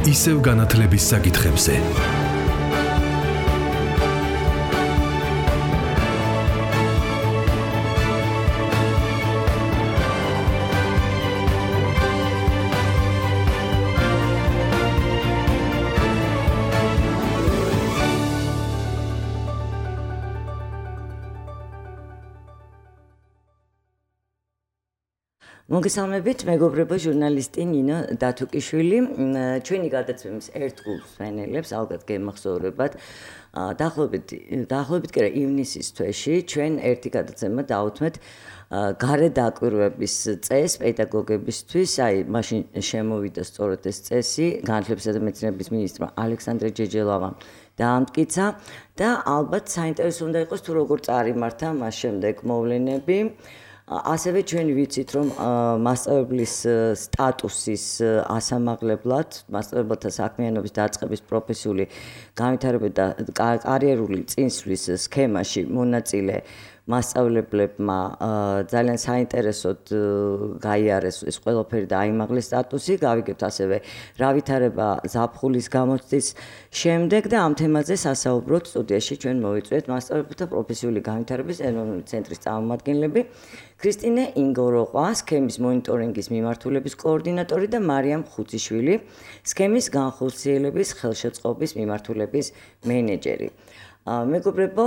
ისევ განათლების საკითხებზე. მოგესალმებით, მეგობრებო, ჟურნალისტი ნინო დათუკიშვილი. ჩვენი გადაცემის ერთ გულს ვენელებს, ალბათ გემახსოვრებათ. დაახლოებით კი რა ივნისის თვეში ჩვენ ერთი გადაცემა დავუთმეთ გარე დაკვირვების წესს პედაგოგებისთვის, მაშინ შემოვიდა სწორედ ეს წესი, განათლებისა და მეცნიერების მინისტრმა ალექსანდრე ჯეჯელავამ დაამტკიცა და ალბათ საინტერესო უნდა იყოს თუ როგორ წარიმართა მას შემდეგ მოვლენები. ასევე ჩვენ ვიცით, რომ მასწავლებლის სტატუსის ასამაღლებლად, მასწავლებელთა საქმიანობის დაწყების პროფესიული განვითარება და კარიერული წინსვლის სქემაში მონაწილე მასწავლებლებმა ძალიან საინტერესოდ გაიარეს ეს ყველაფერი და აიმაღლეს სტატუსი. გავიგებთ ასევე რა ვითარება ზაფხულის გამოცდის შემდეგ და ამ თემაზე სასაუბროთ სტუდიაში ჩვენ მოვიწვიეთ მასწავლებელთა პროფესიული განვითარების ეროვნული ცენტრის წარმომადგენლები ქრისტინე ინგოროყვა, სქემის მონიტორინგის მიმართულების კოორდინატორი და მარიამ ხუციშვილი, სქემის განხორციელების ხელშეწყობის მიმართულების მენეჯერი. მეგობრებო,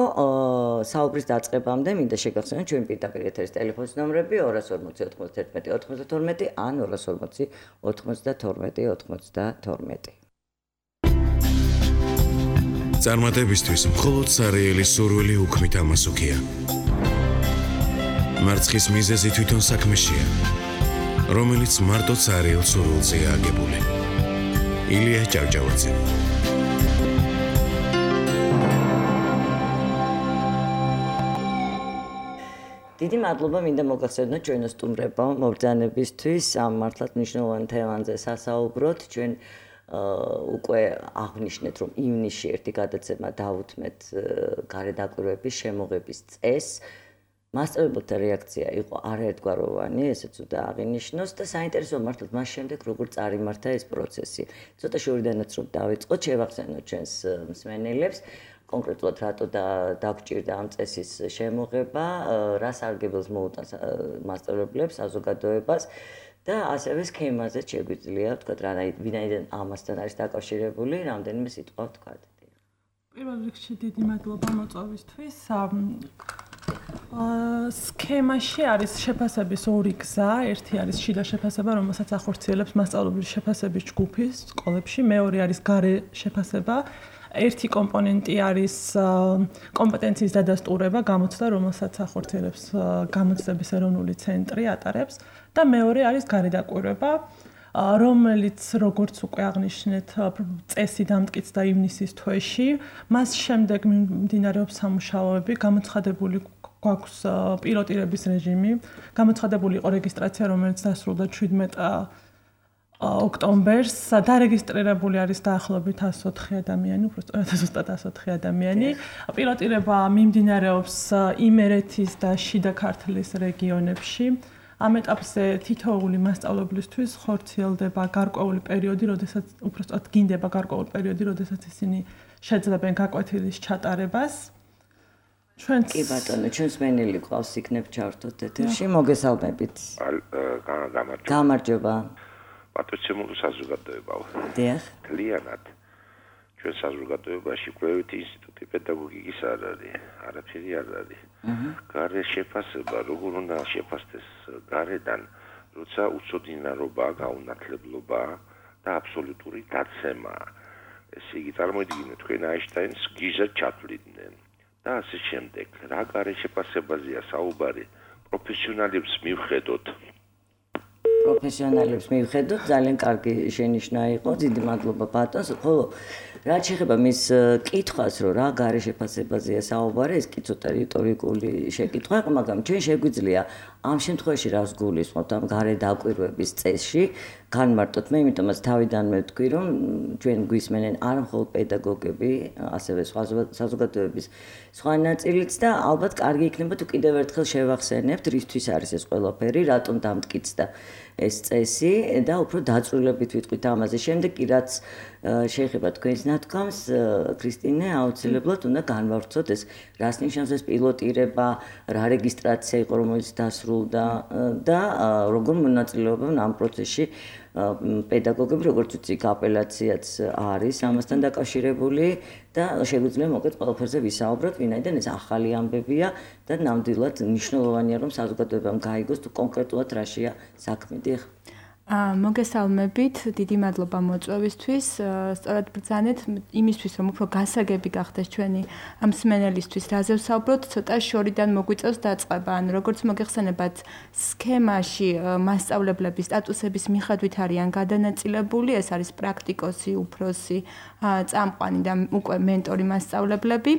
საუბრის დაწყებამდე მინდა შეგახსენოთ ჩვენი პირდაპირ ეთერის ტელეფონის ნომრები 240 91 92 ან 240 92 92. წარმატებისთვის მხოლოდ სარეელი სურვილი უქმით ამასუქია. მარცხის მიზეზი თვითონ საქმეშია, რომელიც მარტო სარეელ სურვილზეა აგებული. ილია ჭავჭავაძე. დიდი მადლობა მინდა მოგახსენოთ ჩვენო სტუმრებო მობრძანებისთვის ამ მართლაც მნიშვნელოვან თემაზე სასაუბროთ. ჩვენ უკვე აღნიშნეთ, რომ ივნისში ერთი გადაცემა დავუთმეთ გარე დაკვირვების შემოღების წესს. მასწავლებელთა რეაქცია იყო არაერთგვაროვანი, ესეც უნდა აღინიშნოს და საინტერესო მართლაც მას შემდეგ როგორ წარიმართა ეს პროცესი. ცოტა შორიდანაც რომ დავიწყოთ, შევახსენოთ ჩვენს მსმენელებს, კონკრეტულად რატო დაგჭირდა ამ წესის შემოღება, რა სარგებელს მოუტანს მასწავლებლებს, საზოგადოებას და ასევე სქემაზე შეგვიძლია ვთქვათ, ვინაიდან ამასთან არის დაკავშირებული, რამდენიმე სიტყვა ვთქვათ. პირველ რიგში დიდი მადლობა მოწვევისთვის. სქემაში არის შეფასების ორი გზა. ერთი არის შიდა შეფასება, რომელსაც ახორციელებს მასწავლებლის შეფასების ჯგუფი სკოლებში, მეორე არის გარე შეფასება. ერთი კომპონენტი არის კომპეტენციის დადასტურება, გამოცდა, რომელსაც ახორციელებს გამოცდების ეროვნული ცენტრი ატარებს და მეორე არის გარე დაკვირვება, რომელიც როგორც უკვე აღნიშნეთ, წესი დამტკიცდა ივნისის თვეში. მას შემდეგ მიმდინარეობს სამუშაოები, გამოცხადებული გვაქვს პილოტირების რეჟიმი, გამოცხადებული იყო რეგისტრაცია, რომელიც დასრულდა 17 ოქტომბერს. დარეგისტრირებული არის დაახლოებით 104 ადამიანი, უბრალოდ ზუსტად 104 ადამიანი. პილოტირება მიმდინარეობს იმერეთის და შიდა ქართლის რეგიონებში. ამ ეტაპზე თითოეული მასწავლებლისთვის ხორციელდება გარკვეული პერიოდი, როდესაც უბრალოდ გინდება გარკვეული პერიოდი, როდესაც ისინი შეძლებენ გაკვეთილის ჩატარებას. კი ბატონო, ჩვენს მენელი ყავს იქნებ ჩართოთ ეთერში. მოგესალმებით. გამარჯობა. პატრიცემული საზოგადოებაა. დიახ. ლიანად. ჩვენ საზოგადოებაში კვლევითი ინსტიტუტი პედაგოგიკის არ არის, არაფერი არ არის. გარე შეფასება, როგორ უნდა შეფასდეს გარედან, როცა უცოდინარობა, გაუნათლებლობა და აბსოლუტური დაცემა. ესე იგი წარმოიდგინეთ, თქვენ აინშტაინს გიზად ჩათვლიდნენ და ასე შემდეგ. რა გარე შეფასებაზეა საუბარი? პროფესიონალებს მივხედოთ. პროფესიონალებს მივხედოთ, ძალიან კარგი შენიშვნა იყო, დიდი მადლობა ბატონს. ხოლო რაც შეეხება მის კითხვას, რომ რა გარე შეფასებაზეა საუბარი, ეს კი ცოტა რიტორიკული შეკითხვა იყო, მაგრამ ჩვენ შეგვიძლია ამ შემთხვევაში რას გულისხმობთ ამ გარე დაკვირვების წესში განმარტოთ მე იმიტომაც თავიდანვე ვთქვი რომ ჩვენ გვისმენენ არა მხოლოდ პედაგოგები ასევე სხვა საზოგადოების სხვა ნაწილიც და ალბათ კარგი იქნება თუ კიდევ ერთხელ შევახსენებთ რისთვის არის ეს ყველაფერი რატომ დამტკიცდა ეს წესი და უფრო დაწვრილებით ვიტყვით ამაზე შემდეგ კი რაც შეეხება თქვენს ნათქვამს ქრისტინე აუცილებლად უნდა განვავრცოთ ეს რას ნიშნავს ეს პილოტირება რა რეგისტრაცია იყო რომელიც დასრულდა და როგორ მონაწილეობენ ამ პროცესში პედაგოგები როგორც ვთქვი აპელაციაც არის ამასთან დაკავშირებული და შეგვიძლია მოკეთ ყველაფერზე ვისაუბროთ ვინაიდან ეს ახალი ამბებია და ნამდვილად მნიშვნელოვანია რომ საზოგადოებამ გაიგოს თუ კონკრეტულად რაშია საქმე დიახ მოგესალმებით, დიდი მადლობა მოწვევისთვის. სწორად ბრძანეთ იმისთვის, რომ უფრო გასაგები გახდეს ჩვენი მსმენელისთვის, რაზე ვსაუბროთ, ცოტა შორიდან მოგვიწევს დაწყება. ანუ როგორც მოგეხსენებათ, სქემაში მასწავლებლების სტატუსების მიხედვით არიან გადანაწილებული, ეს არის პრაქტიკოსი, უფროსი, წამყვანი და უკვე მენტორი მასწავლებლები.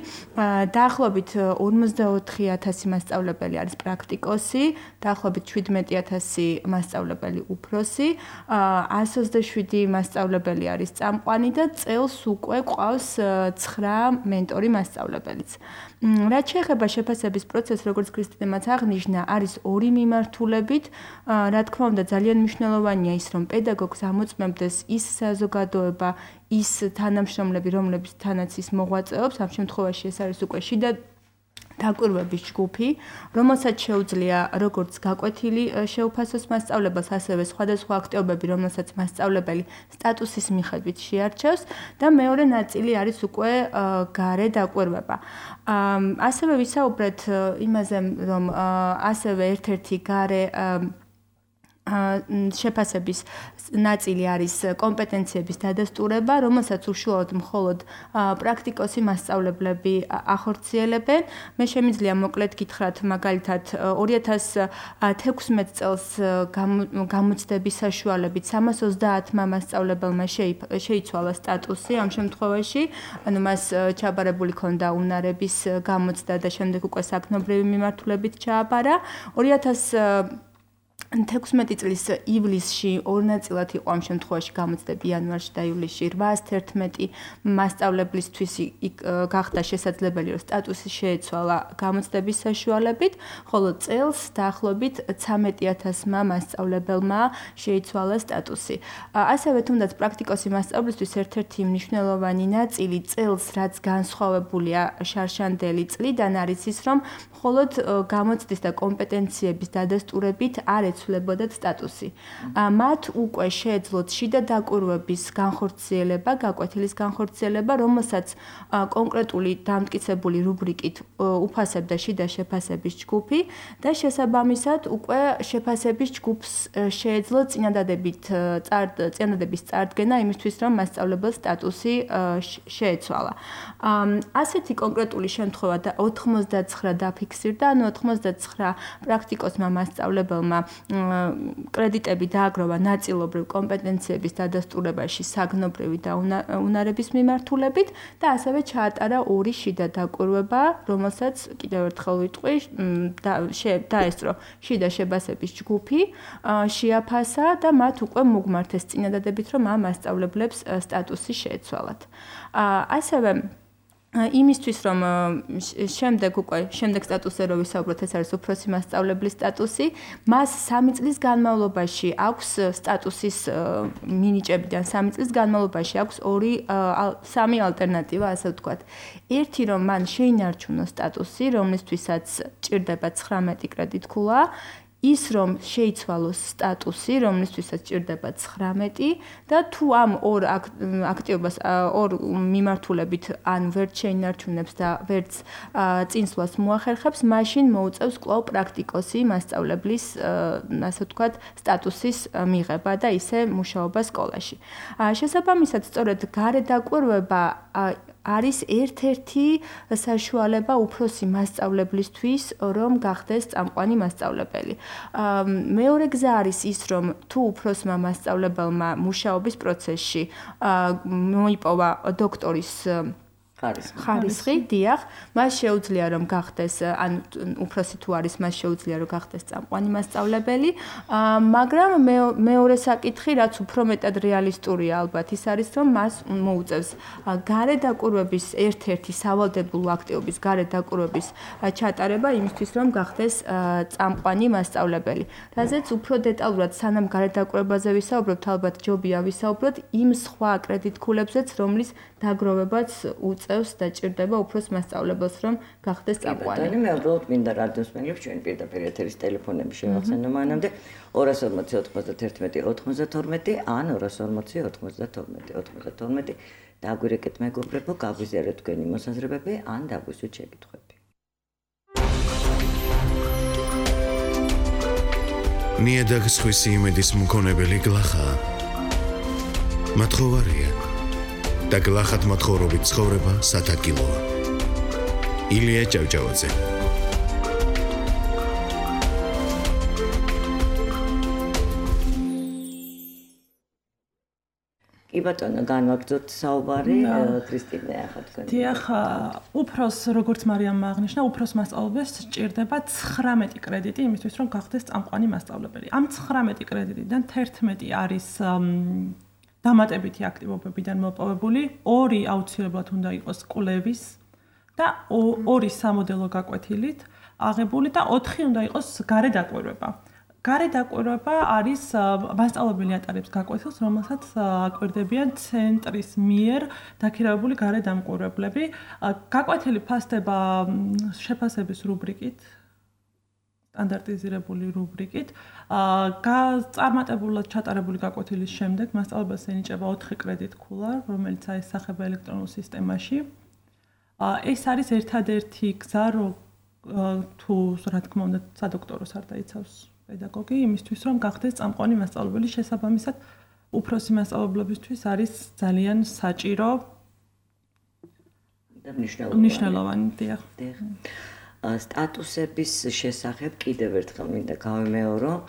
დაახლოებით 44000 მასწავლებელი არის პრაქტიკოსი, დაახლოებით 17000 მასწავლებელი უფროსი. 127 მასწავლებელი არის წამყვანი და წელს უკვე ყავს 9 მენტორი მასწავლებელიც. რაც შეეხება შეფასების პროცესს, როგორც ქრისტინემაც აღნიშნა, არის ორი მიმართულებით. რა თქმა უნდა, ძალიან მნიშვნელოვანია ის, რომ პედაგოგს ამოწმებდეს ის საზოგადოება, ის თანამშრომლები, რომლებთანაც ის მოღვაწეობს, ამ შემთხვევაში ეს არის უკვე შიდა დაკვირვების ჯგუფი, რომელსაც შეუძლია როგორც გაკვეთილი შეუფასოს მასწავლებელს, ასევე სხვადასხვა აქტივობები, რომელსაც მასწავლებელი სტატუსის მიხედვით შეარჩევს და მეორე ნაწილი არის უკვე გარე დაკვირვება. ასევე ვისაუბრეთ იმაზე, რომ ასევე ერთ-ერთი გარე შეფასების ნაწილი არის კომპეტენციების დადასტურება, რომელსაც უშუალოდ მხოლოდ პრაქტიკოსი მასწავლებლები ახორციელებენ. მე შემიძლია მოკლედ გითხრათ, მაგალითად 2016 წელს გამოცდების საშუალებით 330-მა მასწავლებელმა შეიცვალა სტატუსი ამ შემთხვევაში, ანუ მას ჩაბარებული ჰქონდა უნარების გამოცდა და შემდეგ უკვე საგნობრივი მიმართულებით ჩააბარა. 2016 წლის ივლისში ორ ნაწილად იყო ამ შემთხვევაში გამოცდები იანვარში და ივლისში 811 მასწავლებლისთვის გახდა შესაძლებელი რომ სტატუსი შეეცვალა გამოცდების საშუალებით, ხოლო წელს დაახლოებით 13000-მა მასწავლებელმა შეიცვალა სტატუსი. ასევე თუნდაც პრაქტიკოსი მასწავლებლისთვის ერთ-ერთი მნიშვნელოვანი ნაწილი წელს რაც განსხვავებულია შარშანდელი წლიდან არის ის, რომ მხოლოდ გამოცდის და კომპეტენციების დადასტურებით არ ეცვლებოდათ სტატუსი. მათ უკვე შეეძლოთ შიდა დაკვირვების განხორციელება, გაკვეთილის განხორციელება, რომელსაც კონკრეტული დამტკიცებული რუბრიკით უფასებდა შიდა შეფასების ჯგუფი და შესაბამისად უკვე შეფასების ჯგუფს შეეძლო წინადადების წარდგენა იმისთვის, რომ მასწავლებელს სტატუსი შეეცვალა. ასეთი კონკრეტული შემთხვევა და 99 დაფიქსირდა, ანუ 99 პრაქტიკოსმა მასწავლებელმა კრედიტები დააგროვა ნაწილობრივ კომპეტენციების დადასტურებაში საგნობრივი და უნარების მიმართულებით და ასევე ჩაატარა ორი შიდა დაკვირვება, რომელსაც კიდევ ერთხელ ვიტყვი, დაესწრო შიდა შეფასების ჯგუფი, შეაფასა და მათ უკვე მოგმართეს წინადადებით, რომ ამ მასწავლებლებს სტატუსი შეეცვალათ. ასევე იმისთვის რომ შემდეგ სტატუსზე რო ვისაუბროთ, ეს არის უფროსი მასწავლებლის სტატუსი, მას 3 წლის განმავლობაში აქვს სტატუსის მინიჭებიდან 3 წლის განმავლობაში აქვს 3 ალტერნატივა, ასე ვთქვათ. ერთი რომ მან შეინარჩუნოს სტატუსი, რომლისთვისაც ჭირდება 19 კრედიტქულა, ის რომ შეიცვალოს სტატუსი, რომლისთვისაც ჭირდება 19 და თუ ამ ორ აქტივობას ორ მიმართულებით ან ვერც შეინარჩუნებს და ვერც წინსვლას მოახერხებს, მაშინ მოუწევს კვლავ პრაქტიკოსი მასწავლებლის, ასე ვთქვათ, სტატუსის მიღება და ისე მუშაობა სკოლაში. შესაბამისად, სწორედ გარე დაკვირვება არის ერთ-ერთი საშუალება უფროსი მასწავლებლისთვის, რომ გახდეს წამყვანი მასწავლებელი. მეორე გზა არის ის, რომ თუ უფროსმა მასწავლებელმა მუშაობის პროცესში მოიპოვა დოქტორის ხარისხი, დიახ, მას შეუძლია რომ გახდეს, ან უფროსი თუ არის, მას შეუძლია რომ გახდეს წამყვანი მასწავლებელი, მაგრამ მეორე საკითხი, რაც უფრო მეტად რეალისტურია ალბათ, ის არის რომ მას მოუწევს გარე დაკვირვების ერთ-ერთი სავალდებულო აქტივობის გარე დაკვირვების ჩატარება იმისთვის რომ გახდეს წამყვანი მასწავლებელი. რაზეც უფრო დეტალურად სანამ გარე დაკვირვებაზე ვისაუბრებთ, ალბათ ჯობია ვისაუბროთ იმ სხვა კრედიტქულებზეც, რომლის დაგროვებაც უწევს და ჭირდება უფროს მასწავლებელს რომ გახდეს წამყვანი. მე უბრალოდ მინდა რადიოსმენებს ჩვენ პირდაპირ ეთერის ტელეფონები შევახსენო მანამდე 240 91 92 ან 240 92 92 დაგვირეკეთ მეგობრებო, გაგვიზიარეთ თქვენი მოსაზრებები ან დაგვისვით შეკითხვები. ნიადაგის ხვისი იმედის მქონებელი გლახაა. მათხოვარია და გლახად მათხოვრობით ცხოვრება სათაკილოა. ილია ჭავჭავაძე. კი ბატონო, განვაგრძოთ საუბარი, ქრისტინე ახლა თქვენ. დიახ, უფროს როგორც მარიამმა აღნიშნა, უფროს მასწავლებელს სჭირდება 19 კრედიტი იმისთვის, რომ გახდეს წამყვანი მასწავლებელი. ამ 19 კრედიტიდან 11 არის დამატებითი აქტივობებიდან მოპოვებული, 2 აუცილებლად უნდა იყოს კვლევის და 2 სამოდელო გაკვეთილით აღებული და 4 უნდა იყოს გარე დაკვირვება. გარე დაკვირვება არის მასწავლებელი ატარებს გაკვეთილს, რომელსაც აკვირდებიან ცენტრის მიერ დაქირავებული გარე დამკვირვებლები. გაკვეთილი ფასდება შეფასების რუბრიკით, სტანდარტიზირებული რუბრიკით. წარმატებულად ჩატარებული გაკვეთილის შემდეგ მასწავლებელს ენიჭება 4 კრედიტქულა, რომელიც აისახება ელექტრონულ სისტემაში. ეს არის ერთადერთი გზა, რომ თუ რა თქმა უნდა სადოქტოროს არ დაიცავს პედაგოგი იმისთვის რომ გახდეს წამყვანი მასწავლებელი შესაბამისად უფროსი მასწავლებლებისთვის არის ძალიან საჭირო და მნიშვნელოვანი. დიახ. სტატუსების შესახებ კიდევ ერთხელ მინდა გავიმეორო.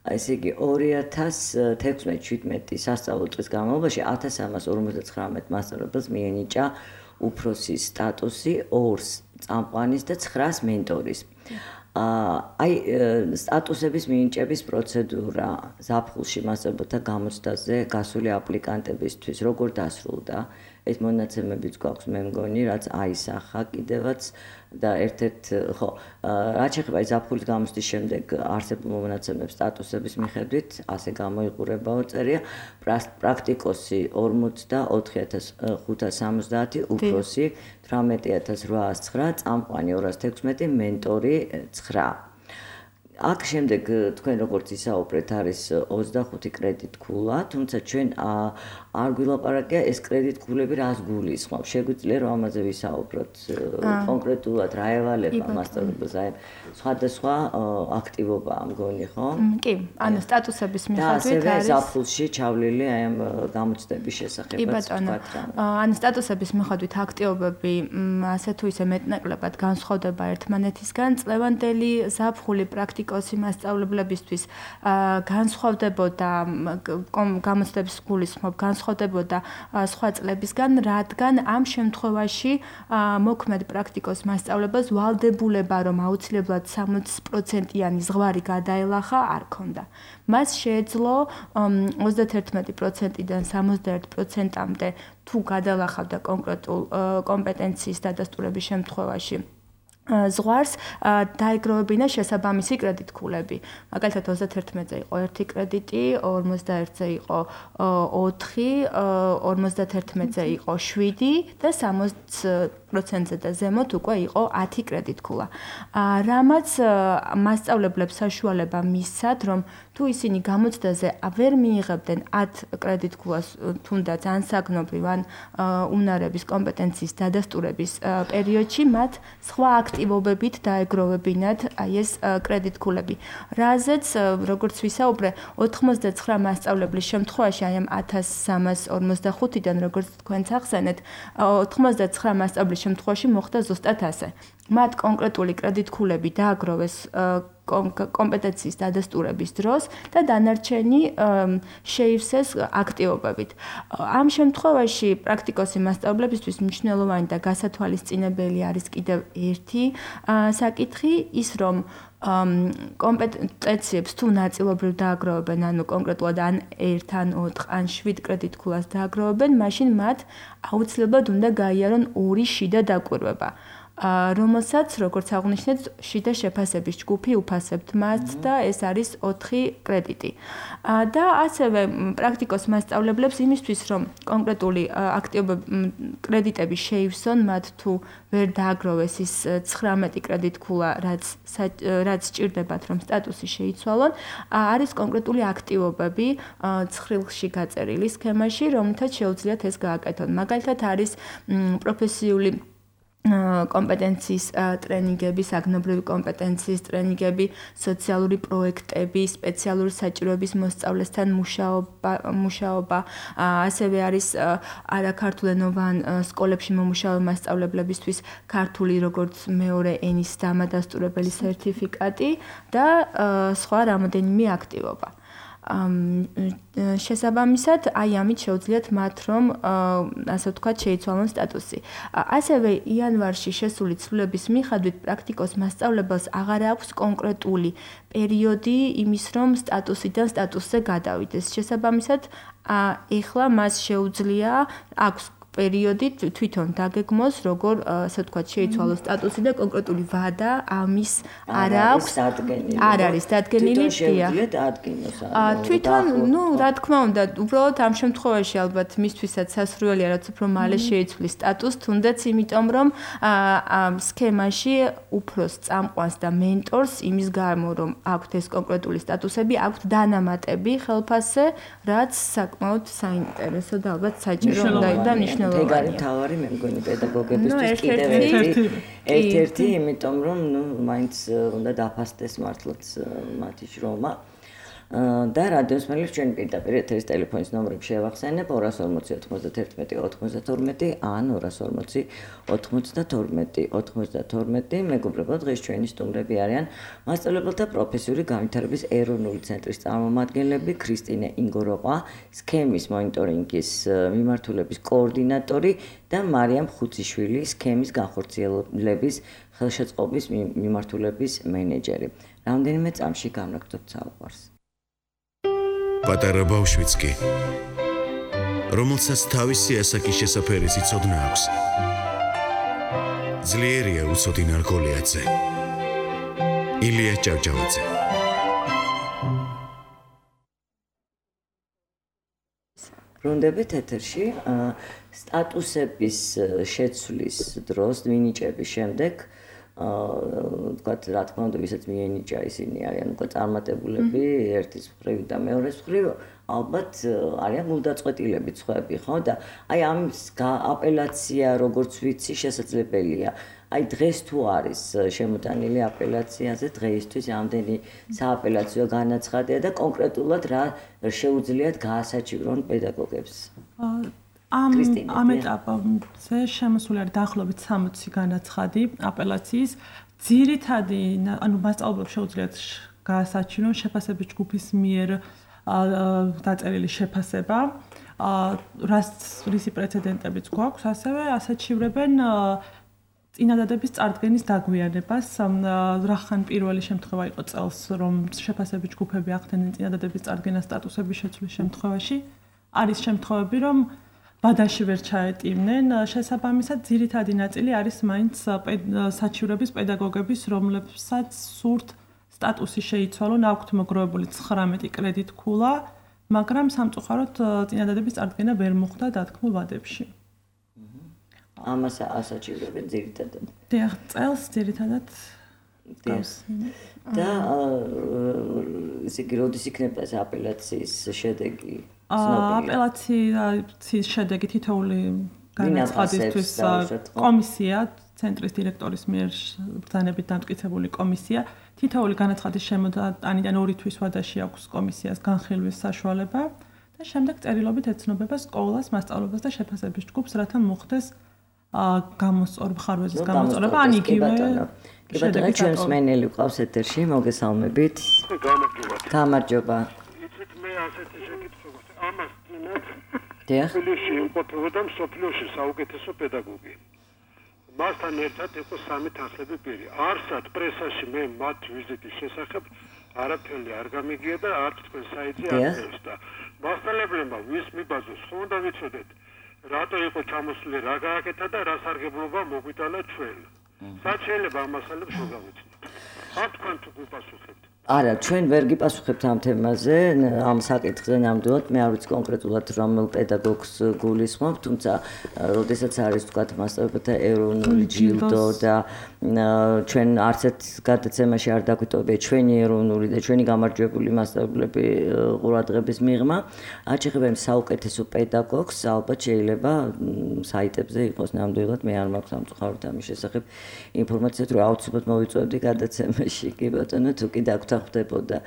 ესე იგი 2016-17 სასწავლო წლის განმავლობაში 1359 მასწავლებელს მიენიჭა უფროსის სტატუსი 2 წამყვანის და 9 მენტორის. აი სტატუსების მინიჭების პროცედურა ზაფხულში მასწავლებელთა გამოცდაზე გასული აპლიკანტებისთვის როგორ დასრულდა? ეს მონაცემებიც გვაქვს მე მგონი, რაც აისახა კიდევაც და ერთ-ერთ ხო, რაც შეეხება ზაფხულის გამოცდის შემდეგ არსებულ მონაცემებს სტატუსების მიხედვით, ასე გამოიყურებაო წერია პრაქტიკოსი 44570, უფროსი 18809, წამყვანი 216, მენტორი 9. აქ შემდეგ თქვენ როგორც ისაუბრეთ არის 25 კრედიტქულა, თუმცა ჩვენ არ გვილაპარაკია ეს კრედიტქულები რას გულისხმობს. შეგვიძლია რომ ამაზე ვისაუბროთ კონკრეტულად რა ევალება მასწავლებელს, აი სხვადასხვა აქტივობაა მგონი, ხო? კი, ანუ სტატუსების მიხედვით არის. და ასევე ზაფხულში ჩავლილი აი ამ გამოცდების შესახებ. კი ბატონო. ანუ სტატუსების მიხედვით აქტივობები ასე თუ ისე მეტნაკლებად განსხვავდება ერთმანეთისგან. წლევანდელი ზაფხული პრაქტიკოსი მასწავლებლებისთვის განსხვავდებოდა გამოცდების გულისხმობ განსხვავდებოდა სხვა წლებისგან, რადგან ამ შემთხვევაში მოქმედ პრაქტიკოს მასწავლებელს ვალდებულება, რომ აუცილებლად 60%-იანი ზღვარი გადაელახა, არ ქონდა. მას შეეძლო 31%-დან 61%-მდე თუ გადაელახავდა კონკრეტულ კომპეტენციის დადასტურების შემთხვევაში. ზღვარს დაეგროვებინა შესაბამისი კრედიტქულები. მაგალითად 31-ზე იყო 1 კრედიტი, 51-ზე იყო 4, 51-ზე იყო 7 და 60%-ზე და ზემოთ უკვე იყო 10 კრედიტქულა. რამაც მასწავლებლებს საშუალება მისცათ, რომ თუ ისინი გამოცდაზე ვერ მიიღებდნენ 10 კრედიტქულას, თუნდაც ან საგნობრივ ან უნარების კომპეტენციის დადასტურების პერიოდში, მათ სხვა აქტივობებით დაეგროვებინათ აი ეს კრედიტქულები. რაზეც, როგორც ვისაუბრე, 99 მასწავლებლის შემთხვევაში, აი ამ 1345-დან, როგორც თქვენც ახსენეთ, 99 მასწავლებლის შემთხვევაში მოხდა ზუსტად ასე. მათ კონკრეტული კრედიტქულები დააგროვეს კომპეტენციის დადასტურების დროს და დანარჩენი შეივსეს აქტივობებით. ამ შემთხვევაში პრაქტიკოსი მასწავლებისთვის მნიშვნელოვანი და გასათვალისწინებელი არის კიდევ ერთი საკითხი, ის რომ კომპეტენციებს თუ ნაწილობრივ დააგროვებენ, ანუ კონკრეტულად ან 1, ან 4, ან 7 კრედიტქულას დააგროვებენ, მაშინ მათ აუცილებლად უნდა გაიარონ 2 შიდა დაკვირვება. რომელსაც, როგორც აღნიშნეთ, შიდა შეფასების ჯგუფი უფასებთ მათ და ეს არის 4 კრედიტი. და ასევე პრაქტიკოს მასწავლებლებს იმისთვის, რომ კონკრეტული კრედიტები შეივსონ მათ თუ ვერ დააგროვეს ის 19 კრედიტქულა, რაც სჭირდებათ, რომ სტატუსი შეიცვალონ, არის კონკრეტული აქტივობები ცხრილში გაწერილი სქემაში, რომლითაც შეუძლიათ ეს გააკეთონ. მაგალითად არის პროფესიული კომპეტენციის ტრენინგები, საგნობრივი კომპეტენციის ტრენინგები, სოციალური პროექტები, სპეციალური საჭიროების მოსწავლესთან მუშაობა, ასევე არის არაქართულენოვან სკოლებში მომუშავე მასწავლებლებისთვის ქართული როგორც მეორე ენის დამადასტურებელი სერტიფიკატი და სხვა რამოდენიმე აქტივობა. შესაბამისად, აი ამით შეუძლიათ მათ რომ ასე ვთქვათ, შეიცვალონ სტატუსი. ასევე იანვარში შესული ცვლილების მიხედვით პრაქტიკოს მასწავლებელს აღარ აქვს კონკრეტული პერიოდი იმის რომ სტატუსიდან სტატუსზე გადავიდეს. შესაბამისად, ეხლა მას შეუძლია აქვს პერიოდი თვითონ დაგეგმოს, როგორ ასე ვთქვათ, შეიცვალოს სტატუსი და კონკრეტული ვადა ამის არ აქვს. არ არის დადგენილი, თვითონ, რა თქმა უნდა, უბრალოდ ამ შემთხვევაში ალბათ მისთვისაც სასურველია, რაც უფრო მალე შეიცვლის სტატუსს, თუნდაც იმიტომ, რომ სქემაში უფროს წამყვანს და მენტორს იმის გამო, რომ აქვთ ეს კონკრეტული სტატუსები, აქვთ დანამატები ხელფასზე, რაც საკმაოდ საინტერესო და ალბათ საჭირო და ნიშნულოვანია. ეგარი თავარი მე მგონი პედაგოგებისთვის კიდევ ერთ-ერთი, იმიტომ რომ მაინც უნდა დაფასდეს მართლაც მათი შრომა. და რადიოს მელებს ჩვენ პირდაპირ ეთერის ტელეფონის ნომრები შევახსენებ 240 91 92 ან 240 92 92. მეგობრებო, დღეს ჩვენი სტუმრები არიან მასწავლებელთა პროფესიული განვითარების ეროვნული ცენტრის წარმომადგენლები ქრისტინე ინგოროყა, სქემის მონიტორინგის მიმართულების კოორდინატორი და მარიამ ხუციშვილი, სქემის განხორციელების ხელშეწყობის მიმართულების მენეჯერი. რამდენიმე წამში განვაგრძობთ საუბარს. პატარა ბავშვიც კი, რომელსაც თავისი ასაკის შესაფერი სიცოდნა აქვს. ძლიერია უცოდი ნარგოლიაძე. ილია ჭავჭავაძე. ბრუნდებით ეთერში, სტატუსების შეცვლის დროს, მინიჭების შემდეგ თქვათ, რა თქმა უნდა, ვისაც მიენიჭა ისინი არიან უკვე წარმატებულები ერთის მხრივ და მეორეს მხრივ, ალბათ არიან გულდაწყვეტილები სხვაები, ხო? და აი ამის აპელაცია, როგორც ვიცი, შესაძლებელია. აი დღეს თუ არის შემოტანილი აპელაციაზე, დღეისთვის ამდენი სააპელაციო განაცხადია და კონკრეტულად რა შეუძლიათ გაასაჭირონ პედაგოგებს. ამ ეტაპზე შემოსული არის დაახლოებით 60 განაცხადი აპელაციის. ძირითადი, ანუ მასწავლებლებს შეუძლიათ გაასაჩინონ შეფასების ჯგუფის მიერ დაწერილი შეფასება, რისი პრეცედენტებიც გვაქვს, ასევე ასაჩივრებენ წინადადების წარდგენის დაგვიანებას. რახან პირველი შემთხვევა იყო წელს, რომ შეფასების ჯგუფები ახდენენ წინადადების წარდგენას სტატუსების შეცვლის შემთხვევაში. არის შემთხვევები, რომ ბადაში ვერ ჩაეტივნენ. შესაბამისად, ძირითადი ნაწილი არის მაინც საჩივრების პედაგოგების, რომლებსაც სურთ სტატუსი შეიცვალონ, აქვთ მოგროვებული 19 კრედიტქულა, მაგრამ სამწუხაროდ წინადადების წარდგენა ვერ მოხდა დათქმულ ვადებში. ამას ასაჩივრებენ ძირითადად. დიახ, წელს ძირითადად და ესე იგი, როდის იქნება ეს აპელაციის შედეგი? აპელაციის შედეგი თითოეული განაცხადისთვის კომისია, ცენტრის დირექტორის მიერ ბრძანებით დამტკიცებული კომისია, თითოეული განაცხადის შემოტანიდან 2 თვის ვადაში აქვს კომისიას განხილვის საშუალება და შემდეგ წერილობით ეცნობება სკოლას, მასწავლებელს და შეფასების ჯგუფს, რათა მოხდეს გამოსწორ მხარვეზის გამოსწორება ან იგივე კი ბატონო ჩვენს მენელი ყავს ეთერში მოგესალმებით გამარჯობა იცით მე ასეთი შეკითხვა ამას წინათ დიახ თბილისში იმყოფებოდა მსოფლიოში საუკეთესო პედაგოგი მასთან ერთად იყო 3 თანხლები პირი არსად პრესაში მე მათ ვიზიტის შესახებ არაფერი არ გამიგია და არც თქვენ საიტზე არ მივსდა მასწავლებლებმა ვის მიბაზოს ხო უნდა ვიცოდეთ რატო იყო ჩამოსული რა გააკეთა და რა სარგებლობა მოგვიტანა ჩვენ სად შეიძლება ამ მასალებს შეგავიცნოთ ამ თქვენ თუ გიპასუხებთ არა ჩვენ ვერ გიპასუხებთ ამ თემაზე ამ საკითხზე ნამდვილად მე არ ვიცი კონკრეტულად რომელ პედაგოგს გულისხმობ თუმცა როდესაც არის თქვა მასწავლებელთა ეროვნული ჯილდო და ჩვენ არც ერთ გადაცემაში არ დაგვიტოვებია ჩვენი ეროვნული და ჩვენი გამარჯვებული მასწავლებლები ყურადღების მიღმა აჩეხება იმ საუკეთესო პედაგოგს ალბათ შეიძლება საიტებზე იყოს ნამდვილად მე არ მაქვს სამწუხაროდ ამის შესახებ ინფორმაციად რომ აუცილებლად მოვიწვევდი გადაცემაში კი ბატონო თუ კი ხვდებოდა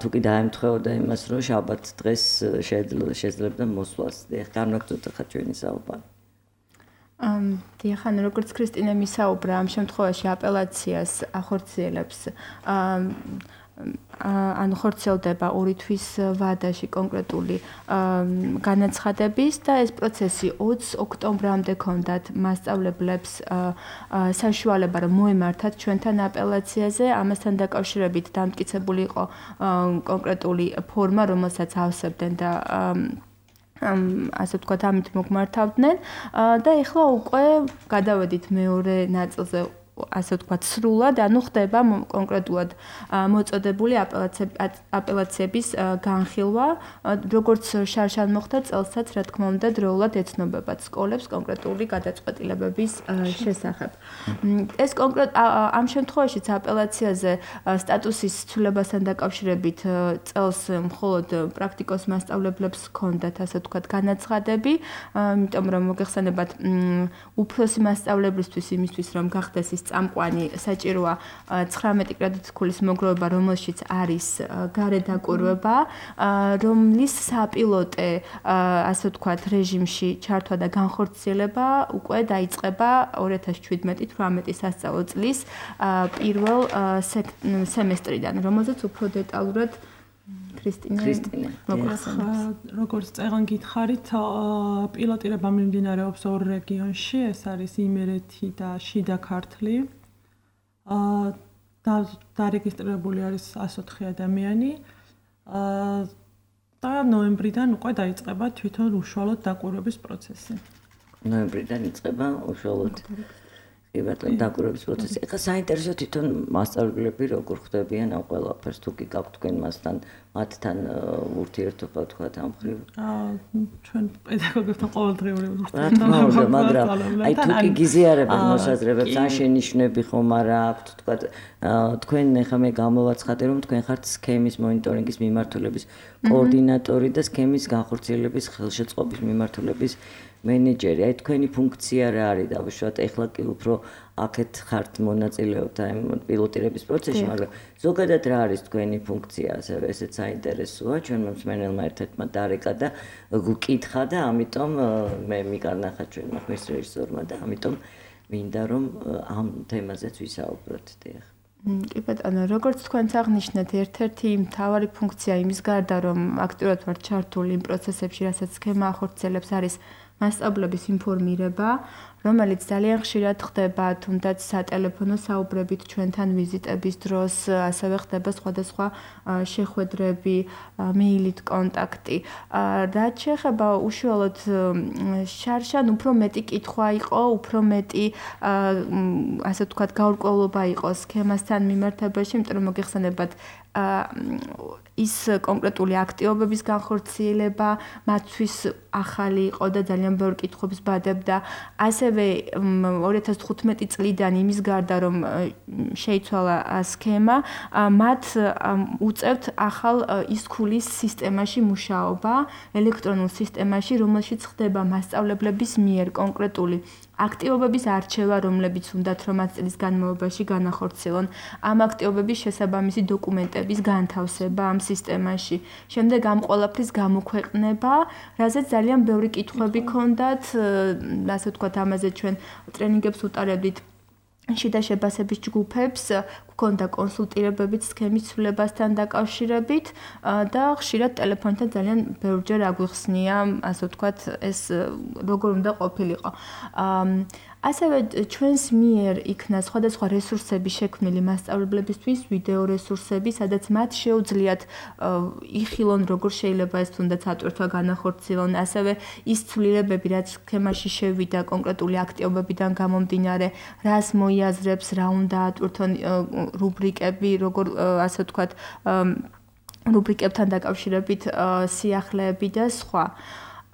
თუ კი დაემთხეოდა იმას რომ შაბათ დღეს შეძლებდა მოსვლას დიახ განვაგრძოთ ახლა ჩვენი საუბარი დიახ ანუ როგორც ქრისტინე მისაუბრა ამ შემთხვევაში აპელაციას ახორციელებს ან ხორციელდება 2 თვის ვადაში კონკრეტული განაცხადების და ეს პროცესი 20 ოქტომბრამდე ქონდათ მასწავლებლებს საშუალება რომ მოემართათ ჩვენთან აპელაციაზე ამასთან დაკავშირებით დამტკიცებული იყო კონკრეტული ფორმა რომელსაც ავსებდნენ და ასე ვთქვათ ამით მოგმართავდნენ და ეხლა უკვე გადავედით მეორე ნაწილზე ასე ვთქვათ სრულად ანუ ხდება კონკრეტულად მოწოდებული აპელაციების განხილვა როგორც შარშან მოხდა წელსაც რა თქმა უნდა დროულად ეცნობებათ სკოლებს კონკრეტული გადაწყვეტილებების შესახებ ეს კონკრეტ ამ შემთხვევაშიც აპელაციაზე სტატუსის ცვლილებასთან დაკავშირებით წელს მხოლოდ პრაქტიკოს მასწავლებლებს ჰქონდათ ასე ვთქვათ განაცხადები იმიტომ რომ მოგეხსენებათ უფროსი მასწავლებლისთვის იმისთვის რომ გახდეს ის წამყვანი საჭიროა 19 კრედიტსკოლის მოგროვება, რომელშიც არის გარე დაკვირვება, რომლის საპილოტე, ასე ვთქვათ, რეჟიმში ჩართვა და განხორციელება უკვე დაიწყება 2017-18 სასწავლო წლის პირველ სემესტრიდან, რომელზეც უფრო დეტალურად ქრისტინე როგორც წეგან გითხარით პილოტირება მიმდინარეობს 2 რეგიონში ეს არის იმერეთი და შიდა ქართლი დარეგისტრირებული არის 104 ადამიანი და ნოემბრიდან უკვე დაიწყება თვითონ უშუალოდ დაკვირვების პროცესი ნოემბრიდან იწყება უშუალოდ დაკვირვების პროცესი. ეხლა საინტერესო თვითონ მასწავლებლები როგორ ხვდებიან ამ ყველაფერს თუ კი გაქვთ თქვენ მათთან ურთიერთობა თქვა ამ ხრივ? ჩვენ პედაგოგებთან ყოველდღიური ურთიერთობა მაგრამ აი თუ კი გიზიარებთ მოსაზრებებს ან შენიშვნები ხომ არა აქვთ თქვა თქვენ ეხლა მე გამოვაცხადე რომ თქვენ ხართ სქემის მონიტორინგის მიმართულების კოორდინატორი და სქემის განხორციელების ხელშეწყობის მიმართულების მენეჯერი, აი თქვენი ფუნქცია რა არის დავუშვათ, ეხლა კი უფრო აქეთ ხართ მონაწილეობთ აი პილოტირების პროცესში, მაგრამ ზოგადად რა არის თქვენი ფუნქცია, ასევე ესეც საინტერესოა, ჩვენ მსმენელმა ერთ-ერთმა დარეკა და გკითხა და ამიტომ მე მიკარნახა ჩვენმა ხმის რეჟისორმა და ამიტომ მინდა რომ ამ თემაზეც ვისაუბროთ, დიახ. კი ბატონო, როგორც თქვენც აღნიშნეთ, ერთ-ერთი მთავარი ფუნქცია იმის გარდა, რომ აქტიურად ვართ ჩართული იმ პროცესებში, რასაც სქემა ახორციელებს, არის მასწავლებლების ინფორმირება, რომელიც ძალიან ხშირად ხდება თუნდაც სატელეფონო საუბრებით ჩვენთან ვიზიტების დროს, ასევე ხდება სხვადასხვა შეხვედრები, მეილით კონტაქტი. რაც შეეხება უშუალოდ შარშან უფრო მეტი კითხვა იყო, უფრო მეტი ასე ვთქვათ გაურკვევლობა იყო სქემასთან მიმართებაში, იმიტომ რომ მოგეხსენებათ ის კონკრეტული აქტივობების განხორციელება მათთვის ახალი იყო და ძალიან ბევრ კითხვებს ბადებდა. ასევე 2015 წლიდან იმის გარდა რომ შეიცვალა სქემა, მათ უწევთ ახალ ისქულის სისტემაში მუშაობა, ელექტრონულ სისტემაში, რომელშიც ხდება მასწავლებლების მიერ კონკრეტული აქტივობების არჩევა, რომლებიც უნდათ რომ 1 წლის განმავლობაში განახორციელონ. ამ აქტივობების შესაბამისი დოკუმენტების განთავსება, ამ სისტემაში. შემდეგ ამ ყველაფრის გამოქვეყნება, რაზეც ძალიან ბევრი კითხვები ქონდათ, ასე ვთქვათ, ამაზე ჩვენ ტრენინგებს ვუტარებდით შიდა შეფასების ჯგუფებს, გქონდა კონსულტირებებით სქემის ცვლილებასთან დაკავშირებით და ხშირად ტელეფონთან ძალიან ბევრჯერ აგვიხსნია, ასე ვთქვათ, ეს როგორ უნდა ყოფილიყო. ასევე ჩვენს მიერ იქნა სხვადასხვა რესურსები შექმნილი მასწავლებლებისთვის, ვიდეო რესურსები, სადაც მათ შეუძლიათ იხილონ, როგორ შეიძლება ეს თუნდაც ატვირთვა განახორციელონ, ასევე ის ცვლილებები, რაც სქემაში შევიდა კონკრეტული აქტივობებიდან გამომდინარე, რას მოიაზრებს, რა უნდა ატვირთონ რუბრიკები, როგორ ასე ვთქვათ, რუბრიკებთან დაკავშირებით სიახლეები და სხვა.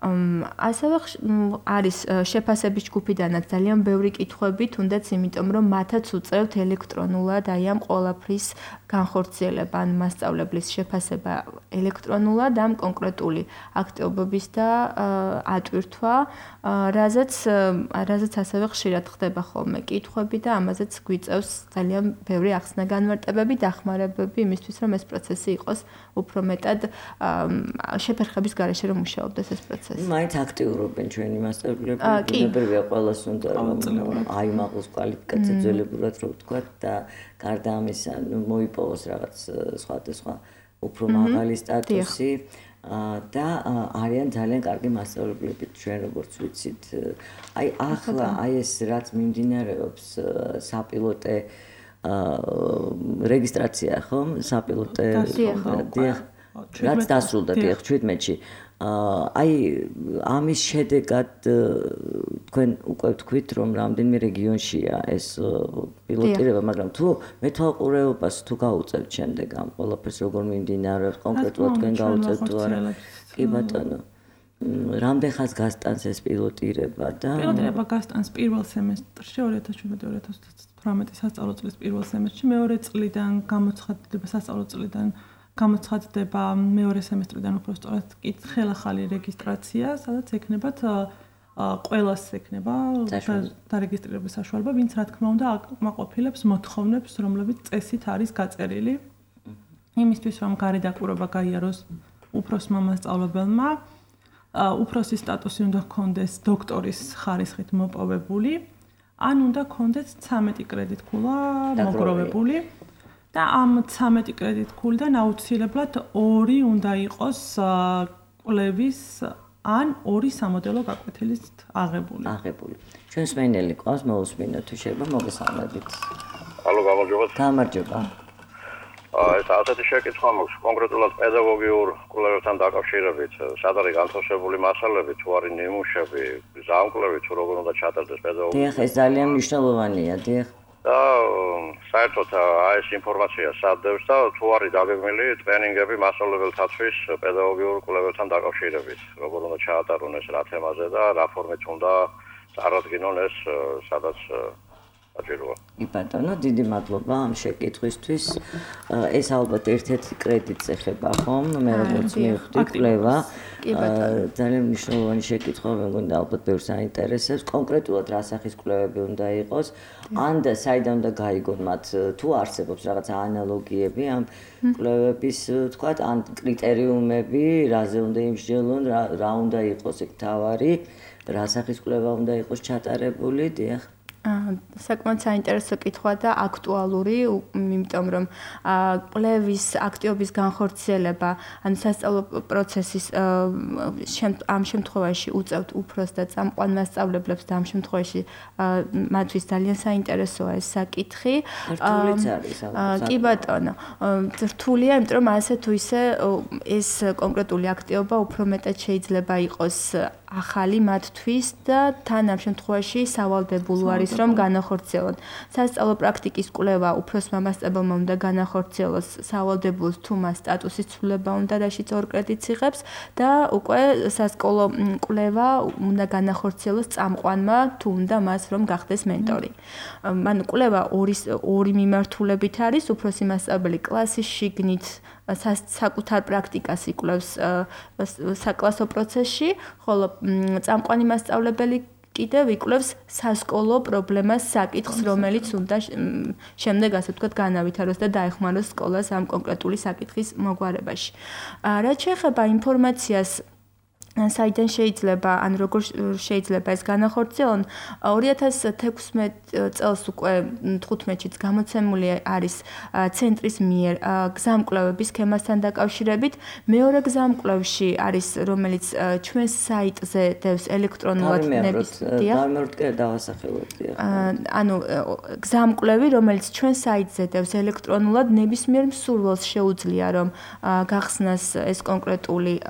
ასევე არის შეფასების ჯგუფიდანაც ძალიან ბევრი კითხვები, თუნდაც იმიტომ, რომ მათაც უწევთ ელექტრონულად აი ამ ყველაფრის განხორციელება, ან მასწავლებლის შეფასება ელექტრონულად ამ კონკრეტული აქტივობების და ატვირთვა, რაზეც ასევე ხშირად ხდება ხოლმე კითხვები და ამაზეც გვიწევს ძალიან ბევრი ახსნა-განმარტებები, დახმარებები იმისთვის, რომ ეს პროცესი იყოს უფრო მეტად შეფერხების გარეშე რომ მუშაობდეს ეს პროცესი. მაინც აქტიურობენ ჩვენი მასწავლებლები, ბუნებრივია ყველას უნდა აიმაღლოს კვალიფიკაცია ძველებურად რო ვთქვათ და გარდა ამისა მოიპოვოს რაღაც სხვადასხვა უფრო მაღალი სტატუსი და არიან ძალიან კარგი მასწავლებლები ჩვენ როგორც ვიცით. აი ახლა აი ეს რაც მიმდინარეობს საპილოტე რეგისტრაცია ხომ? საპილოტე რაც დასრულდა 17-ში. აი ამის შედეგად თქვენ უკვე თქვით რომ რამდენიმე რეგიონშია ეს პილოტირება, მაგრამ თუ მეთვალყურეობას თუ გაუწევთ შემდეგ ამ ყველაფერს როგორ მიმდინარეობს კონკრეტულად თქვენ გაუწევთ თუ არა? კი ბატონო. რამდენ ხანს გასტანს ეს პილოტირება და პილოტირება გასტანს პირველ სემესტრში 2017-2018 სასწავლო წლის პირველ სემესტრში, მეორე წლიდან გამოცხადდება სასწავლო წლიდან გამოცხადდება მეორე სემესტრიდან უფრო სწორად ხელახალი რეგისტრაცია, სადაც ექნებათ ყველას ექნება დარეგისტრირების საშუალება, ვინც რა თქმა უნდა აკმაყოფილებს მოთხოვნებს, რომლებიც წესით არის გაწერილი. იმისთვის რომ გარე დაკვირვება გაიაროს უფროსმა მასწავლებელმა, უფროსის სტატუსი უნდა ჰქონდეს დოქტორის ხარისხით მოპოვებული, ან უნდა ჰქონდეს 13 კრედიტქულა მოგროვებული. და ამ 13 კრედიტქულიდან აუცილებლად 2 უნდა იყოს კვლევის ან 2 სამოდელო გაკვეთილის აღებული. ჩვენს მეინელი ყავს მოусმინოთ თუ შეიძლება მოგესალმებით. ალო, გამარჯობა. გამარჯობა. ეს ასეთი შეკითხვა მაქვს კონკრეტულად პედაგოგიურ კვლევებთან დაკავშირებით, სად არის განთავსებული მასალები, თუ არის ნიმუშები, ზამკვლევი, თუ როგორ უნდა ჩატარდეს პედაგოგია. დიახ, ეს ძალიან მნიშვნელოვანია, დიახ. და საერთოდ ეს ინფორმაცია სადევს და თუ არის დაგეგმილი ტრენინგები მასწავლებელთათვის პედაგოგიურ კვლევებთან დაკავშირებით, როგორ უნდა ჩაატარონ ეს რა თემაზე და რა ფორმით უნდა წარადგინონ ეს სადაც საჭიროა. კი ბატონო, დიდი მადლობა ამ შეკითხვისთვის. ეს ალბათ ერთ-ერთი კრედიტს ეხება ხომ? მე როგორც მივხვდი კვლევა. ძალიან მნიშვნელოვანი შეკითხვა, მე მგონი ალბათ ბევრს აინტერესებს. კონკრეტულად რა სახის კვლევები უნდა იყოს? ან და საიდან უნდა გაიგონ მათ თუ არსებობს რაღაც ანალოგიები ამ კვლევების, თქვათ, ან კრიტერიუმები, რაზე უნდა იმსჯელონ, რა უნდა იყოს ეგ თავარი, რა სახის კვლევა უნდა იყოს ჩატარებული, დიახ. საკმაოდ საინტერესო კითხვა და აქტუალური, იმიტომ რომ კვლევის აქტივობის განხორციელება, ანუ სასწავლო პროცესის ამ შემთხვევაში უწევთ უფროს და წამყვან მასწავლებლებს და ამ შემთხვევაში მათთვის ძალიან საინტერესოა ეს საკითხი. რთულიც არის ალბათ. კი ბატონო, რთულია, იმიტომ რომ ასე თუ ისე ეს კონკრეტული აქტივობა უფრო მეტად შეიძლება იყოს ახალი მათთვის და თან ამ შემთხვევაში სავალდებულო არის რომ განახორციელონ. სასწავლო პრაქტიკის კვლევა უფროსმა მასწავლებელმა უნდა განახორციელოს სავალდებულოს თუ მას სტატუსის ცვლილება უნდა, რაშიც 2 კრედიტს იღებს და უკვე სასკოლო კვლევა უნდა განახორციელოს წამყვანმა თუ უნდა მას რომ გახდეს მენტორი. ანუ კვლევა ორი მიმართულებით არის, უფროსი მასწავლებელი კლასის შიგნით საკუთარ პრაქტიკას იკვლევს საკლასო პროცესში, ხოლო წამყვანი მასწავლებელი კიდევ იკვლევს სასკოლო პრობლემას საკითხს, რომელიც უნდა შემდეგ ასე ვთქვათ განავითაროს და დაეხმაროს სკოლას ამ კონკრეტული საკითხის მოგვარებაში. რაც შეეხება ინფორმაციას საიდან შეიძლება ან როგორ შეიძლება ეს განახორციელონ 2016 წელს უკვე 15-ში გამოცემული არის ცენტრის მიერ გზამკვლევების სქემასთან დაკავშირებით მეორე გზამკვლევში არის რომელიც ჩვენს საიტზე დევს ელექტრონულად ნების ანუ გზამკვლევი რომელიც ჩვენს საიტზე დევს ელექტრონულად ნებისმიერ მსურველს შეუძლია რომ გახსნას ეს კონკრეტული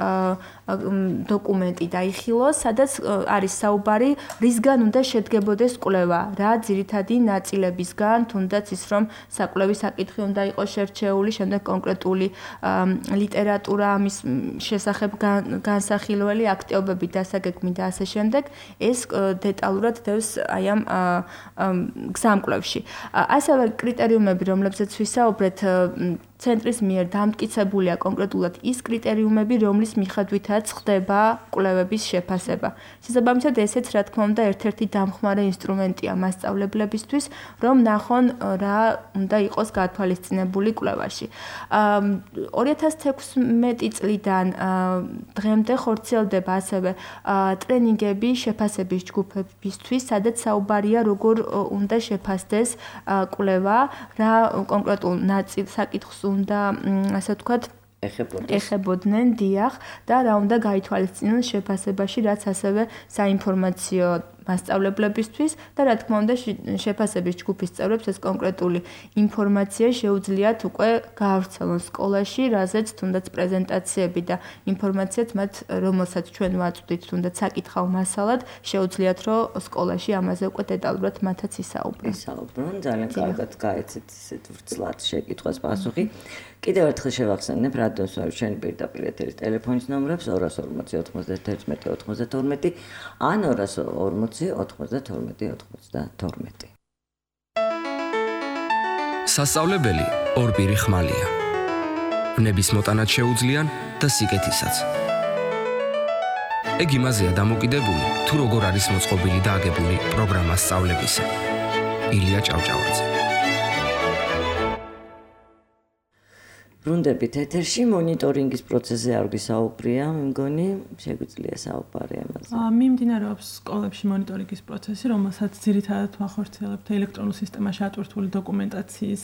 დოკუმენტი დაიხილოს, სადაც არის საუბარი, რისგან უნდა შედგებოდეს კვლევა, რა ძირითადი ნაწილებისგან, თუნდაც ის რომ საკვლევი საკითხი უნდა იყოს შერჩეული, შემდეგ კონკრეტული ლიტერატურა ამის შესახებ განსახილველი აქტივობები დასაგეგმი და ასე შემდეგ, ეს დეტალურად დევს აი ამ გზამკვლევში. ასევე კრიტერიუმები, რომლებზეც ვისაუბრეთ, ცენტრის მიერ დამტკიცებულია კონკრეტულად ის კრიტერიუმები, რომლის მიხედვითაც ხდება კვლევების შეფასება. შესაბამისად, ესეც რა თქმა უნდა ერთ-ერთი დამხმარე ინსტრუმენტია მასწავლებლებისთვის, რომ ნახონ რა უნდა იყოს გათვალისწინებული კვლევაში. 2016 წლიდან დღემდე ხორციელდება ასევე ტრენინგები შეფასების ჯგუფებისთვის, სადაც საუბარია როგორ უნდა შეფასდეს კვლევა, რა კონკრეტულ საკითხს უნდა ასე ვთქვათ ეხებოდნენ დიახ და რა უნდა გაითვალისწინონ შეფასებაში რაც ასევე საინფორმაციო მასწავლებლებისთვის და რა თქმა უნდა შეფასების ჯგუფის წევრებს ეს კონკრეტული ინფორმაცია შეუძლიათ უკვე გაავრცელონ სკოლაში, რაზეც თუნდაც პრეზენტაციები და ინფორმაციაც მათ რომელსაც ჩვენ ვაწვდით თუნდაც საკითხავ მასალად შეუძლიათ რომ სკოლაში ამაზე უკვე დეტალურად მათაც ისაუბრონ. ძალიან კარგად გაეცეთ ისეთ ვრცლად შეკითხვას პასუხი. კიდევ ერთხელ შევახსენებ რადიოს ჩვენი პირდაპირ ეთერის ტელეფონის ნომრებს 240 91 92 ან 240 92. სასწავლებელი ორბირი ხმალია. ვნების მოტანაც შეუძლიან და სიკეთისაც. ეგ იმაზეა დამოკიდებული, თუ როგორ არის მოწყობილი და აგებული პროგრამა სწავლებისა. ილია ჭავჭავაძე. ბრუნდებით ეთერში მონიტორინგის პროცესზე არ ვისაუბრია, მე მგონი შეგვიძლია საუბარი ამაზე. მიმდინარეობს სკოლებში მონიტორინგის პროცესი, რომელსაც ძირითადად ვახორციელებთ ელექტრონულ სისტემაში ატვირთული დოკუმენტაციის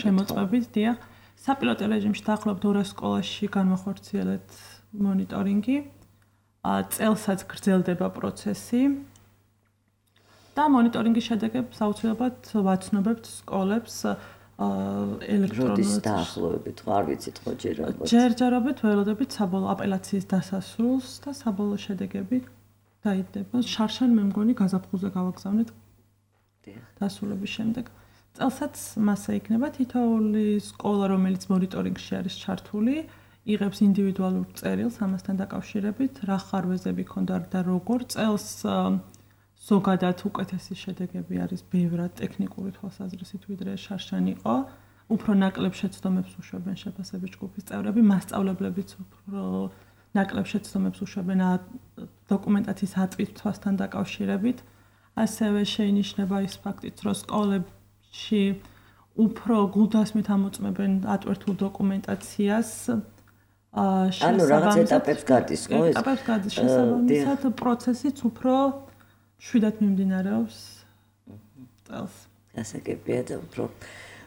შემოწმებით, დიახ. საპილოტო რეჟიმში დაახლოებით 200 სკოლაში განვახორციელეთ მონიტორინგი. წელსაც გრძელდება პროცესი. და მონიტორინგის შედეგებს აუცილებლად ვაცნობებთ სკოლებს ელექტრონულ დაახლოებით, არ ვიცით ხო ჯერჯერობით. ჯერჯერობით ველოდებით საბოლოო აპელაციის დასასრულს და საბოლოო შედეგები დაიდება. შარშან მე მგონი გაზაფხულზე გავაგზავნეთ. დასრულების შემდეგ. წელსაც მასა იქნება თითოეული სკოლა, რომელიც მონიტორინგში არის ჩართული, იღებს ინდივიდუალურ წერილს ამასთან დაკავშირებით, რა ხარვეზები ქონდა და როგორ წელს ზოგადად უკეთესი შედეგები არის ბევრად ტექნიკური თვალსაზრისით ვიდრე შარშან იყო. უფრო ნაკლებ შეცდომებს უშვებენ შეფასების ჯგუფის წევრები, მასწავლებლებიც უფრო ნაკლებ შეცდომებს უშვებენ დოკუმენტაციის ატვირთვასთან დაკავშირებით. ასევე შეინიშნება ის ფაქტიც, რომ სკოლებში უფრო გულდასმით ამოწმებენ ატვირთულ დოკუმენტაციას. ანუ რაღაც ეტაპებს გადის, ხო? ეტაპებს გადის შესაბამისად პროცესიც უფრო შვიდად მიმდინარეობს წელს. გასაგებია და უფრო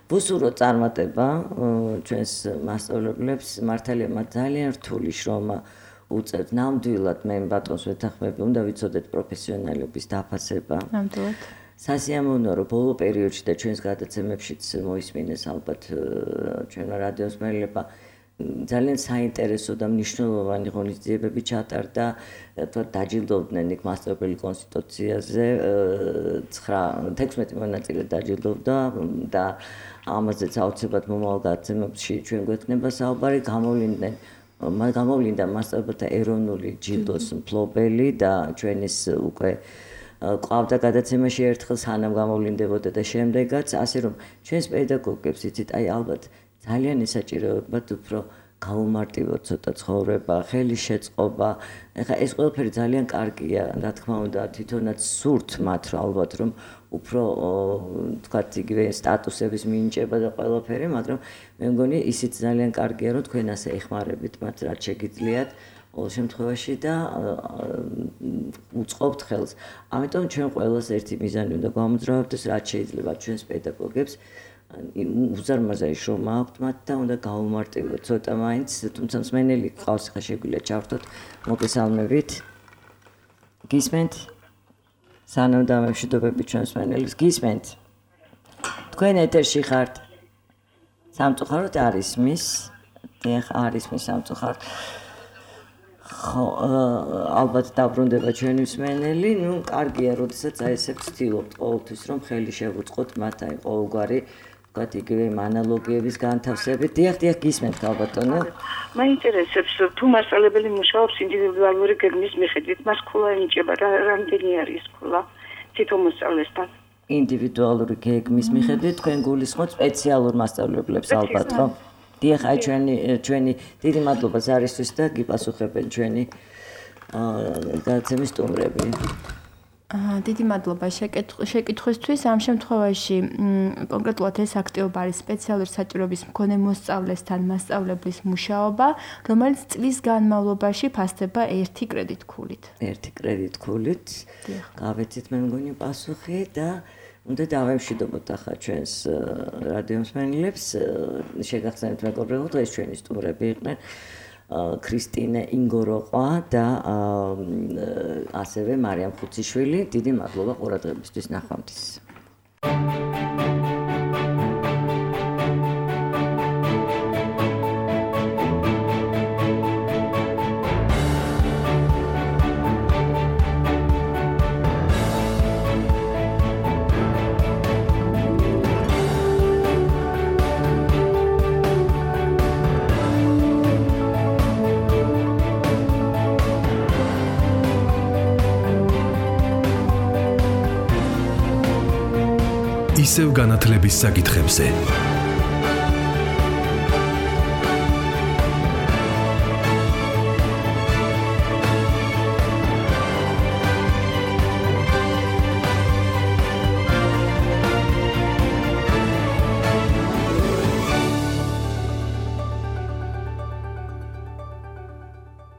ვუსურო წარმატება ჩვენს მასწავლებლებს, მართალია მათ ძალიან რთული შრომა უწევთ. ნამდვილად მე ბატონს ვეთანხმები, უნდა ვიცოდეთ პროფესიონალების დაფასება. ნამდვილად. სასიამოვნოა, რომ ბოლო პერიოდში და ჩვენს გადაცემებშიც მოისმინეს ალბათ ჩვენმა რადიოს მერლებმა ძალიან საინტერესო და მნიშვნელოვანი ღონისძიებები ჩატარდა, დაჯილდოვდნენ იქ მასწავლებელი კონსტიტუციაზე 16 მონაწილე დაჯილდოვდა და ამაზეც აუცილებლად მომავალ გადაცემებში ჩვენ გვექნება საუბარი. გამოვლინდა მასწავლებელთა ეროვნული ჯილდოს მფლობელი და ჩვენის უკვე ყავდა გადაცემაში ერთხელ სანამ გამოვლინდებოდა და შემდეგაც, ასე რომ ჩვენს პედაგოგებს იცით, აი ალბათ ძალიან ისაჭიროებათ უფრო გაუმარტივოთ ცოტა ცხოვრება, ხელი შეწყობა. ეხლა ეს ყველაფერი ძალიან კარგია, რა თქმა უნდა, თვითონაც სურთ მათ ალბათ რომ უფრო თქვათ იგივე სტატუსების მინიჭება და ყველაფერი, მაგრამ მე მგონი ისიც ძალიან კარგია, რომ თქვენ ასე ეხმარებით მათ, რაც შეგიძლიათ ყოველ შემთხვევაში და უწყობთ ხელს. ამიტომ ჩვენ ყველას ერთი მიზანი უნდა გვამოძრავებდეს, რაც შეიძლება ჩვენს პედაგოგებს უზარმაზარი შრომა აქვთ მათ და უნდა გაუმარტივოთ ცოტა მაინც, თუმცა მსმენელი ყავს, ხა შეგვიძლია ჩავთოთ მოგესალმებით. გისმენთ? სანამ დამემშვიდობები ჩვენ მსმენელს, გისმენთ? თქვენ ეთერში ხართ? სამწუხაროდ არ ისმის. დიახ, არ ისმის სამწუხაროდ. ხო, ალბათ დაბრუნდება ჩვენი მსმენელი, ну, კარგია, როდესაც აი ესე ვცდილობთ ყოველთვის რომ ხელი შევუწყოთ მათ აი ყოველგვარი ვთქვათ იგივე ანალოგიების განთავსებით. დიახ, გისმენთ ალბათონო. მაინტერესებს თუ მასწავლებელი მუშაობს ინდივიდუალური გეგმის მიხედვით, მას ქულა ენიჭება, რამდენი არის ქულა თვითონ მოსწავლესთან? ინდივიდუალური გეგმის მიხედვით თქვენ გულისხმობთ სპეციალურ მასწავლებლებს ალბათ, ხო? დიახ, აი ჩვენი დიდი მადლობა ზარისთვის და გიპასუხებენ ჩვენი გადაცემის სტუმრები. დიდი მადლობა შეკითხვისთვის. ამ შემთხვევაში კონკრეტულად ეს აქტივობა არის სპეციალური საჭიროების მქონე მოსწავლესთან მასწავლებლის მუშაობა, რომელიც წლის განმავლობაში ფასდება 1 კრედიტქულით. 1 კრედიტქულით. გავეცით მე მგონი პასუხი და უნდა დავემშვიდობოთ ახლა ჩვენს რადიო მსმენელებს. შეგახსენებთ მეგობრებო, ეს ჩვენი სტუმრები იყვნენ ქრისტინე ინგოროყვა და ასევე მარიამ ხუციშვილი. დიდი მადლობა ყურადღებისთვის, ნახვამდის. ისევ განათლების საკითხებზე